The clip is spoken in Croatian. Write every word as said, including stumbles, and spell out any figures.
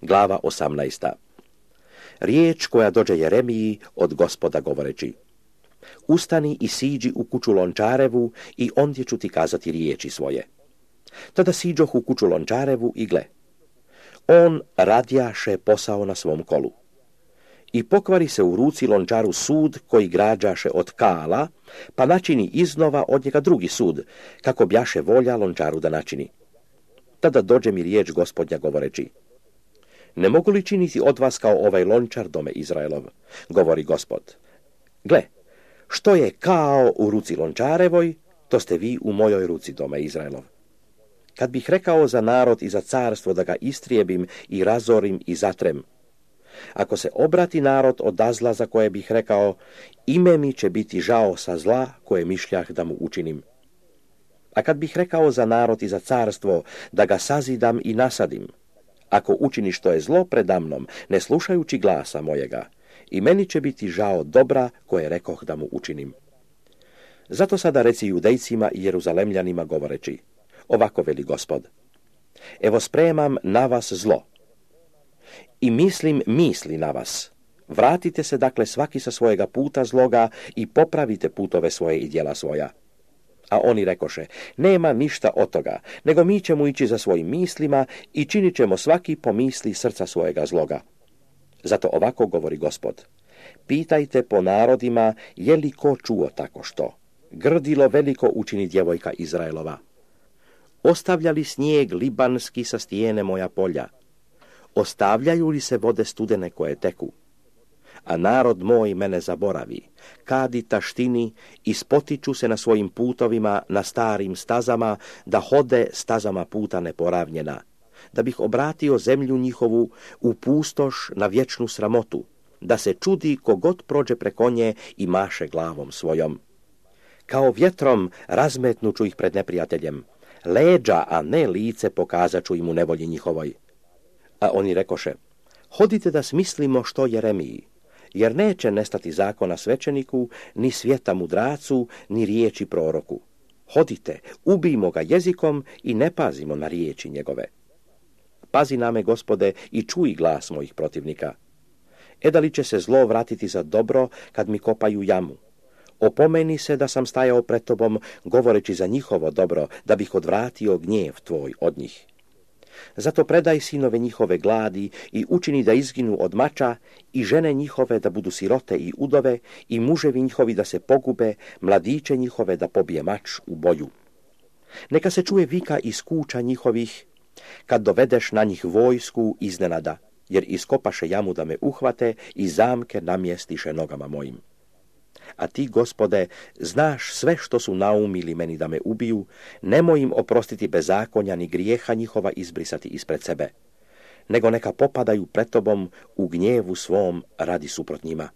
Glava osamnaesta. Riječ koja dođe Jeremiji od Gospoda govoreći: Ustani i siđi u kuću Lončarevu i ondje ću ti kazati riječi svoje. Tada siđoh u kuću Lončarevu i gle, on radjaše posao na svom kolu. I pokvari se u ruci Lončaru sud koji građaše od kala, pa načini iznova od njega drugi sud, kako bjaše volja Lončaru da načini. Tada dođe mi riječ Gospodnja govoreći: Ne mogu li činiti od vas kao ovaj lončar, dome Izraelov, govori Gospod. Gle, što je kao u ruci Lončarevoj, to ste vi u mojoj ruci, dome Izraelov. Kad bih rekao za narod i za carstvo da ga istrijebim i razorim i zatrem, ako se obrati narod od zla za koje bih rekao, ime mi će biti žao sa zla koje mišljah da mu učinim. A kad bih rekao za narod i za carstvo da ga sazidam i nasadim, ako učini što je zlo predamnom, ne slušajući glasa mojega, i meni će biti žao dobra koje rekoh da mu učinim. Zato sada reci Judejcima i Jeruzalemljanima govoreći: Ovako veli Gospod: Evo spremam na vas zlo i mislim misli na vas. Vratite se dakle svaki sa svojega puta zloga i popravite putove svoje i djela svoja. A oni rekoše: Nema ništa od toga, nego mi ćemo ići za svojim mislima i činit ćemo svaki po misli srca svojega zloga. Zato ovako govori Gospod: Pitajte po narodima je li ko čuo tako što. Grdilo veliko učini djevojka Izraelova. Ostavlja li snijeg libanski sa stijene moja polja? Ostavljaju li se vode studene koje teku? A narod moj mene zaboravi, kadi taštini i spotiču se na svojim putovima na starim stazama, da hode stazama puta neporavnjena, da bih obratio zemlju njihovu u pustoš na vječnu sramotu, da se čudi kogod prođe preko nje i maše glavom svojom. Kao vjetrom razmetnuću ih pred neprijateljem, leđa, a ne lice pokazat ću im u nevolji njihovoj. A oni rekoše: Hodite da smislimo što Jeremiji, jer neće nestati zakona svećeniku, ni svijeta mudracu, ni riječi proroku. Hodite, ubijmo ga jezikom i ne pazimo na riječi njegove. Pazi na me, Gospode, i čuj glas mojih protivnika. E da li će se zlo vratiti za dobro kad mi kopaju jamu? Opomeni se da sam stajao pred tobom, govoreći za njihovo dobro, da bih odvratio gnjev tvoj od njih. Zato predaj sinove njihove gladi i učini da izginu od mača, i žene njihove da budu sirote i udove, i muževi njihovi da se pogube, mladiće njihove da pobije mač u boju. Neka se čuje vika iz kuća njihovih, kad dovedeš na njih vojsku iznenada, jer iskopaše jamu da me uhvate i zamke namjestiše nogama mojim. A ti, Gospode, znaš sve što su naumili meni da me ubiju, nemoj im oprostiti bezakonja ni grijeha njihova izbrisati ispred sebe, nego neka popadaju pred tobom u gnjevu svom radi suprot njima.